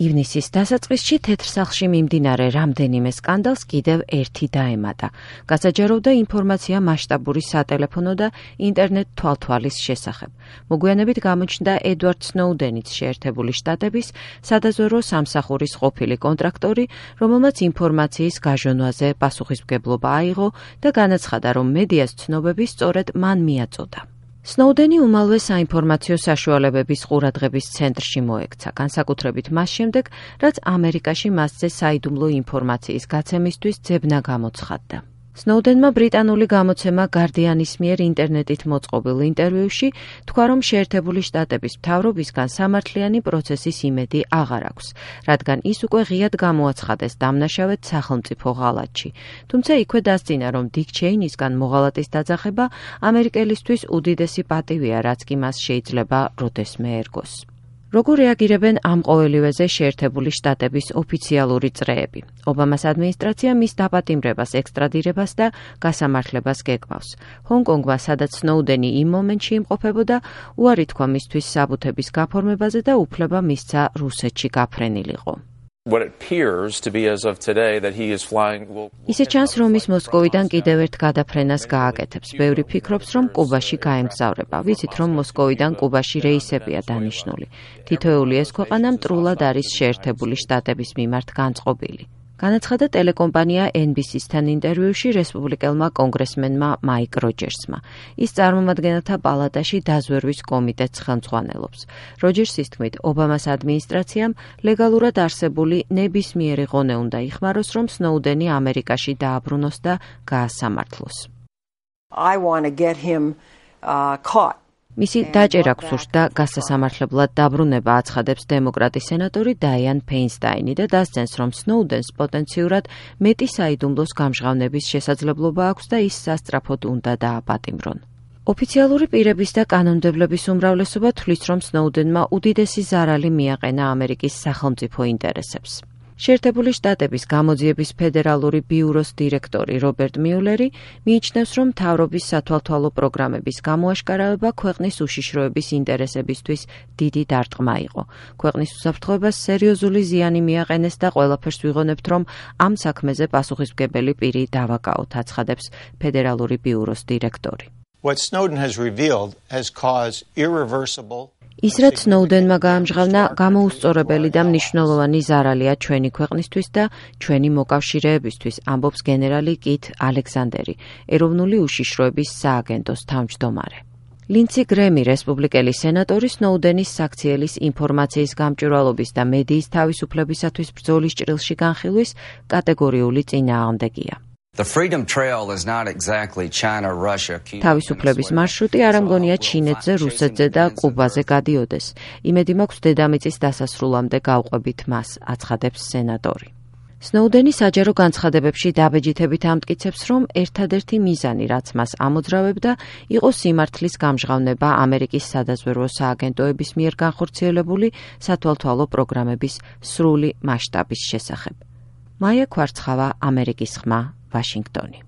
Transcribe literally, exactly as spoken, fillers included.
ივნისის დასაწყისში თეთრ სახლში მიმდინარე რამდენიმე სკანდალს კიდევ ერთი დაემატა. გასაჯაროვდა ინფორმაცია მასშტაბური სატელეფონო და ინტერნეტ თვალთვალის შესახებ. მოგვიანებით გამოჩნდა ედვარდ სნოუდენიც შეერთებული შტატების სადაზვერვო სამსახურის ყოფილი კონტრაქტორი, რომელმაც ინფორმაციის გაჟონვაზე პასუხისმგებლობა აიღო და განაცხადა, რომ მედიას ცნობები სწორედ მან მიაწოდა. სნოუდენი უმალვე საინფორმაციო საშუალებების ყურადღების ცენტრში მოექცა, განსაკუთრებით მას შემდეგ, რაც ამერიკაში მასზე საიდუმლო ინფორმაციის გაცემისთვის ძებნა გამოცხადდა. სნოუდენმა ბრიტანული გამოცემა Guardian-ის მიერ ინტერნეტით მოწყობილ ინტერვიუში თქვა, რომ შეერთებული შტატების მთავრობისგან სამართლიანი პროცესის იმედი აღარ აქვს, რადგან ის უკვე ღიად გამოაცხადეს დამნაშავედ სახელმწიფო ღალატში. თუმცა იქვე დასძინა, რომ დიკ ჩეინისგან მოღალატის დაძახება ამერიკელისთვის უდიდესი პატივია, რაც კი მას შეიძლება როდესმე ერგოს. როგორ რეაგირებენ ამ ყოველივეზე შეერთებული შტატების ოფიციალური წრეები? ობამას ადმინისტრაცია მის დაპატიმრებას, ექსტრადირებას და გასამართლებას გეკმავს. ჰონკონგმა, სადაც სნოუდენი იმ მომენტში იმყოფებოდა, უარი თქვა მისთვის საბუთების გაფორმებაზე და უფლება მისცა რუსეთში გაფრენილიყო. What it appears to be as of today that he is flying will ისე ჩანს, რომ ის მოსკოვიდან კიდევ ერთ გადაფრენას გააკეთებს. ბევრი ფიქრობს, რომ კუბაში გაემგზავრება. ვიცით, რომ მოსკოვიდან კუბაში რეისებია დანიშნული. თითოეული ეს ქვეყანა მტრულად არის შეერთებული შტატების მიმართ განწყობილი. განაცხადა ტელეკომპანია ენ ბი სი-სთან ინტერვიუში რესპუბლიკელმა კონგრესმენმა მაიკ როჯერსმა. ის წარმომადგენელთა პალატაში დაზვერვის კომიტეტს ხელმძღვანელობს. როჯერსის თქმით, ობამას ადმინისტრაციამ ლეგალურად არსებული ნებისმიერი ღონე უნდა იხმაროს, რომ სნოუდენი ამერიკაში დააბრუნოს და გაასამართლოს. I want to get him uh, caught. მისი დაჭერა გსურს და გასასამართლებლად დაბრუნება აცხადებს დემოკრატი სენატორი დაიან ფეინსტაინი და დასძენს, რომ სნოუდენს პოტენციურად მეტი საიდუმლოს გამჟღავნების შესაძლებლობა აქვს და ის სასწრაფოდ უნდა დააპატიმრონ. ოფიციალური პირების და კანონმდებლების უმრავლესობა თვლის, რომ სნოუდენმა უდიდესი ზარალი მიაყენა ამერიკის სახელმწიფო ინტერესებს. შეერთებული შტატების გამოძიების ფედერალური ბიუროს დირექტორი რობერტ მიულერი მიიჩნევს, რომ მთავრობის სათვალთვალო პროგრამების გამოაშკარავება ქვეყნის უშიშროების ინტერესებისთვის დიდი დარტყმა იყო. ქვეყნის უსაფრთხოებას სერიოზული ზიანი მიაყენეს და ყველაფერს ვიღონებთ, რომ ამ საქმეზე პასუხისმგებელი პირი დავაკავოთ, აცხადებს ფედერალური ბიუროს დირექტორი. What Snowden has revealed has caused irreversible ის, რაც სნოუდენმა გაამჟღავნა, გამოუსწორებელი და მნიშვნელოვანი ზარალია ჩვენი ქვეყნისთვის და ჩვენი მოკავშირეებისთვის, ამბობს გენერალი კით ალექსანდერი, ეროვნული უშიშროების სააგენტოს თავმჯდომარე. ლინცი გრემი, რესპუბლიკელი სენატორი, სნოუდენის საქციელის ინფორმაციის გამჭვირვალობის და მედიის თავისუფლებისათვის ბრძოლის ჭრილში განხილვის კატეგორიული წინააღმდეგია. The Freedom Trail is not exactly China, Russia, Cuba. თავისუფლების მარშრუტი არ ამგონია ჩინეთზე, რუსეთზე და კუბაზე გადიოდეს. იმედი მაქვს დედამიწის დასასრულამდე გავყვებით მას, აცხადებს სენატორი. სნოუდენი საჯარო განცხადებებში დაბეჯითებით ამტკიცებს, რომ ერთადერთი მიზანი, რაც მას ამოძრავებდა, იყო სიმართლის გამჟღავნება ამერიკის სადაზვერვო სააგენტოების მიერ განხორციელებული სათვალთვალო პროგრამების სრული მასშტაბის შესახებ. მაია ქვარცხავა, ამერიკის ხმა, ვაშინგტონი.